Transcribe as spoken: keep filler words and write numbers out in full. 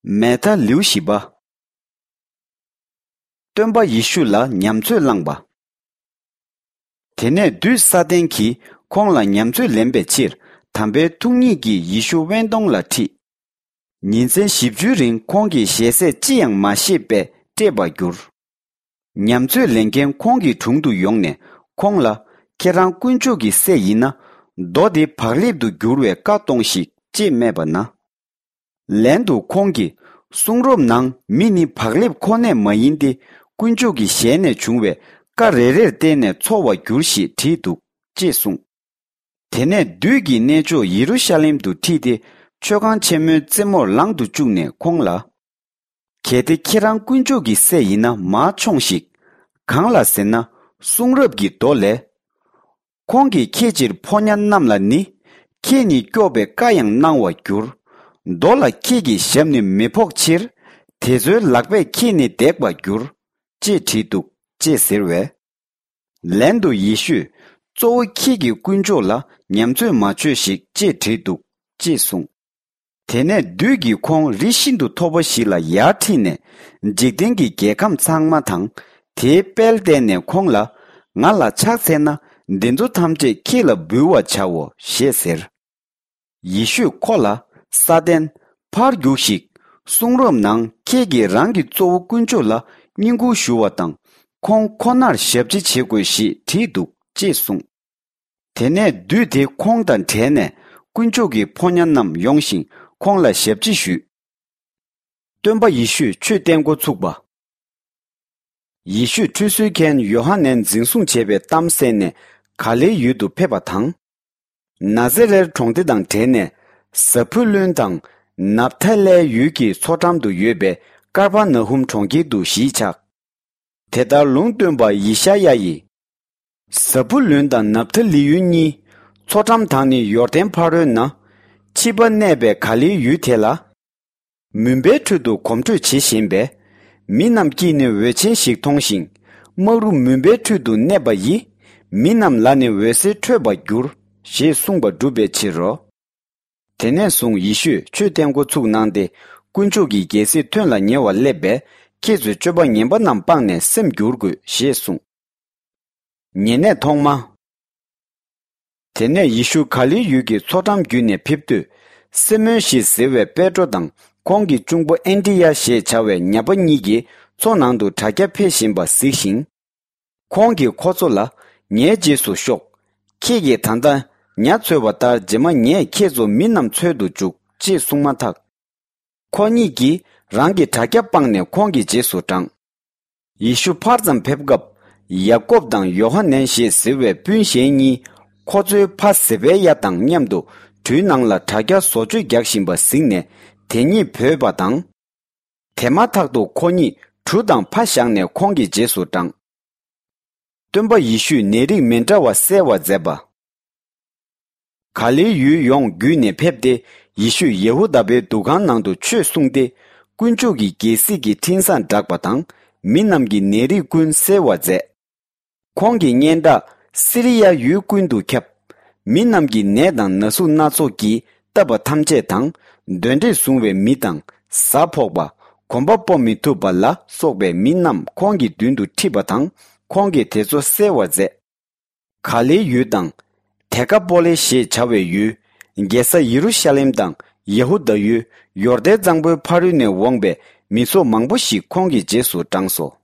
མེ་ཐ་ལེའུ་བཞི་པ། སྟོན་པ་ཡེ་ཤུ་ལ་ཉམས་ཚོད་བླངས་པ། དེ་ནས་བདུད་ས་ཏན་གྱིས་ཁོང་ལ་ཉམས་ཚོད་ལེན་པའི་ཕྱིར། དམ་པའི་ཐུགས་ཉིད་ཀྱིས་ཡེ་ཤུ་དབེན་སྟོང་ལ་ཁྲིད། ཉིན་མཚན་བཞི་བཅུའི་རིང་ཁོང་གིས་ཞལ་ཟས་ཅི་ཡང་མ་བཞེས་པས་བཀྲེས་པར་གྱུར། ཉམས་ཚོད་ལེན་མཁན་ཁོང་གི་དྲུང་དུ་ཡོང་ནས་ཁོང་ལ། ཁྱེད་རང་དཀོན་མཆོག་གི་སྲས་ཡིན་ན། རྡོ་འདི་བག་ལེབ་ཏུ་འགྱུར་བའི་བཀའ་གཏོང་ཞིག་ཅེས་སྨྲས་པ་ན། ལན་དུ་ཁོང་གིས། གསུང་རབ་ནང་མི་ནི་བག་ལེབ་ཁོ་ནས་མ་ཡིན་ཏེ། དཀོན་མཆོག་གི་ཞལ་ནས་བྱུང་བའི་བཀའ་རེ་རེར་བརྟེན་ནས་འཚོ་བར་འགྱུར་ཞེས་བྲིས་འདུག་ཅེས་གསུངས། དེ་ནས་བདུད་ཀྱིས་གནས་མཆོག་ཡེ་རུ་ཤ་ལེམ་དུ་ཁྲིད་དེ། མཆོད་ཁང་ཆེན་མོའི་རྩེ་མོར་ལང་དུ་བཅུག་ནས་ཁོང་ལ། གལ་ཏེ་ཁྱེད་རང་དཀོན་མཆོག་གི་སྲས་ཡིན་ན་མར་མཆོངས་ཤིག། གང་ལ་ཟེར་ན། གསུང་རབ་ཀྱི་མདོ་ལས། ཁོང་གིས་ཁྱེད་ཕྱིར་ཕོ་ཉ་རྣམས་ལ་ནི། ཁྱེད་ནི་སྐྱོབ་པའི་བཀའ་ཡང་གནང་བར་འགྱུར། རྡོ་ལ་ཁྱེད་ཀྱི་ཞབས་ནི་མི་ཕོག་ཕྱིར། དེ་ཚོའི་ལག་པས་ཁྱེད་ནི་འདེགས་པར་འགྱུར། ཅེས་བྲིས་འདུག་ཅེས་ཟེར་བས། ལན་དུ་ཡེ་ཤུས། གཙོ་བོ་ཁྱེད་ཀྱིས་དཀོན་མཆོག་ལ་ཉམས་ཚོད་མ་བྱོས་ཤིག་ཅེས་བྲིས་འདུག་ཅེས་གསུངས། དེ་ནས་བདུད་ཀྱིས་ཁོང་རི་ཤིན་ཏུ་མཐོ་པོ་ཞིག་ལ་ཡར་ཁྲིད་ནས། འཇིག་རྟེན་གྱི་རྒྱལ་ཁམས་ཚང་མ་དང་། དེའི་དཔལ་བསྟན་ནས་ཁོང་ལ། ང་ལ་ཕྱག་འཚལ་ན། འདི་ཚོ་ཐམས་ཅད་ཁྱེད་ལ་འབུལ་བར་བྱའོ་ཞེས་ཟེར། ཡེ་ཤུས་ཁོ་ལ། ས་ཏན། ཕར་རྒྱུགས་ཤིག། གསུང་རབ་ནང་ཁྱེད་ཀྱིས་རང་གི་གཙོ་བོ་དཀོན་མཆོག་ལ་བསྙེན་བཀུར་ཞུ་བ་དང་། ཁོང་ཁོ་ནར་ཞབས་ཕྱི་བྱེད་དགོས་ཞེས་བྲིས་འདུག་ཅེས་གསུངས། དེ་ནས་བདུད་དེ་ཁོང་དང་བྲལ་ནས་དཀོན་མཆོག་གི་ཕོ་ཉ་རྣམས་ཡོང་ཞིང་ཁོང་ལ་ཞབས་ཕྱི་ཞུས། སྟོན་པ་ཡེ་ཤུས་ཆོས་བསྟན་འགོ་ཚུགས་པ། ཡེ་ཤུས་ཁྲུས་གསོལ་མཁན་ཡོ་ཧ་ནན་འཛིན་བཟུང་བྱས་པའི་གཏམ་གསན་ནས་ག་ལེའི་ཡུལ་དུ་ཕེབས་པ་དང་། ན་ཛེ་རེར་གྲོང་སྡེ་དང་བྲལ་ནས་ཟ་བུ་ལུན་དང་ནབ་ཐ་ལའི་ཡུལ་གྱི་མཚོ་འགྲམ་དུ་ཡོད་པའི་ཀར་པ་ན་ཧུམ་གྲོང་ཁྱེར་དུ་གཞིས་ཆགས། དེ་ལྟར་ལུང་སྟོན་པ་ཡེ་ཤ་ཡ་ཡིས། ཟ་བུ་ལུན་དང་ནབ་ཐ་ལི་ཡུལ་གཉིས། མཚོ་འགྲམ་དང་ནི་ཡོར་དན་ཕ་རོལ་ན། ཕྱི་པ་གནས་པའི་ག་ལེའི་ཡུལ་དེ་ལ། མུན་པའི་ཁྲོད་དུ་གོམ་བགྲོད་བྱེད་བཞིན་པས། མི་རྣམས་ཀྱིས་ནི་འོད་ཆེན་ཞིག་མཐོང་ཞིང་། དམག་རུ་མུན་པའི་ཁྲོད་དུ་གནས་པ་ཡིས། མི་རྣམས་ལ་ནི་འོད་ཟེར་འཕྲོས་པར་འགྱུར། ཞེས་གསུངས་པ་འགྲུབ་པའི་ཕྱིར་རོ། དེ་ནས་བཟུང་ཡེ་ཤུས་ཆོས་བསྟན་འགོ་ཚུགས་གནང་སྟེ། དཀོན་མཆོག་གི་རྒྱལ་སྲིད་ཐོན་ལ་ཉེ་བར་སླེབས་པས། ཁྱེད་ཚོས་སྤྱོད་པ་ངན་པ་རྣམས་སྤངས་ནས་སེམས་བསྒྱུར་དགོས་ཞེས་གསུངས། ཉེ་གནས་ཐོག་མ། དེ་ནས་ཡེ་ཤུ་ག་ལིལ་ཡུལ་གྱི་མཚོ་འགྲམ་བརྒྱུད་ནས་ཕེབས་དུས། སི་མོན་ཞེས་ཟེར་བའི་པེ་ཏྲོ་དང་ཁོང་གི་གཅུང་པོ་ཨན་དྲི་ཡ་ཞེས་བྱ་བའི་ཉ་པ་གཉིས་ཀྱིས་མཚོ་ནང་དུ་དྲ་རྒྱ་འཕེན་བཞིན་པ་གཟིགས་ཤིང་། ཁོང་གིས་ཁོ་ཚོ་ལ། ངའི་རྗེས་སུ་ཤོག། ཁྱེད་ཀྱིས་ད་ལྟ་ཉ་འཚོལ་བ་ལྟར་རྗེས་མ་ངས་ཁྱེད་ཚོ་མི་རྣམས་འཚོལ་དུ་འཇུག་ཅེས་གསུངས་མ་ཐག། ཁོ་གཉིས་ཀྱིས་རང་གི་དྲ་རྒྱ་སྤངས་ནས་ཁོང་གི་རྗེས་སུ་འབྲངས། ཡེ་ཤུ་ཕར་ཙམ་ཕེབས་སྐབས། ཡ་ཀོབ་དང་ཡོ་ཧ་ནན་ཞེས་ཟེར་བའི་སྤུན་གཞན་གཉིས། ཁོ་ཚོའི་ཕ་ཟེ་བའི་ཡ་དང་མཉམ་དུ་གྲུའི་ནང་ལ་དྲ་རྒྱ་བཟོ་བཅོས་རྒྱག་བཞིན་པ་གཟིགས་ནས་དེ་གཉིས་བོས་པ་དང་། དེ་མ་ཐག་ཏུ་ཁོ་གཉིས་གྲུ་དང་ཕ་བཞག་ནས་ཁོང་གི་རྗེས་སུ་འབྲངས། སྟོན་པ་ཡེ་ཤུས་ནད་རིགས་མི་འདྲ་བ་སེལ་བར་མཛད་པ། ག་ལིལ་ཡུལ་ཡོངས་བརྒྱུད་ནས་ཕེབས་ཏེ། ཡེ་ཤུས་ཡེ་ཧུ་དཱ་པའི་འདུ་ཁང་ནང་དུ་ཆོས་གསུངས་ཏེ། དཀོན་མཆོག་གི་རྒྱལ་སྲིད་ཀྱི་འཕྲིན་བཟང་བསྒྲགས་པ་དང་། མི་རྣམས་ཀྱི་ནད་རིགས་ཀུན་སེལ་བར་མཛད། ཁོང་གི་སྙན་གྲགས་སི་རི་ཡ་ཡུལ་ཀུན་ཏུ་ཁྱབ། མི་རྣམས་ཀྱི་ནད་དང་ན་ཟུག་སྣ་ཚོགས་ཀྱིས་བཏབ་པ་ཐམས་ཅད་དང་། གདོན་འདྲེས་བཟུང་བའི་མི་དང་། གཟའ་ཕོག་པ། གོམ་པ་སྤོ་མི་ཐུབ་པ་ལ་སོགས་པའི་མི་རྣམས་ཁོང་གི་མདུན་དུ་ཁྲིད་པ་དང་། ཁོང་གིས་དེ་ཚོ་སེལ་བར་མཛད། ག་ལིལ་ཡུལ་དང་། དེ་ཀ་པོ་ལེ་ཞེས་བྱ་བའི་ཡུལ། རྒྱལ་ས་ཡེ་རུ་ཤ་ལེམ་དང་། ཡ་ཧུ་དཱ་ཡུལ། ཡོར་དན་གཙང་པོའི་ཕ་རོལ་ནས་འོངས་པའི་མི་ཚོགས་མང་པོ་ཞིག་ཁོང་གི་རྗེས་སུ་འབྲངས་སོ།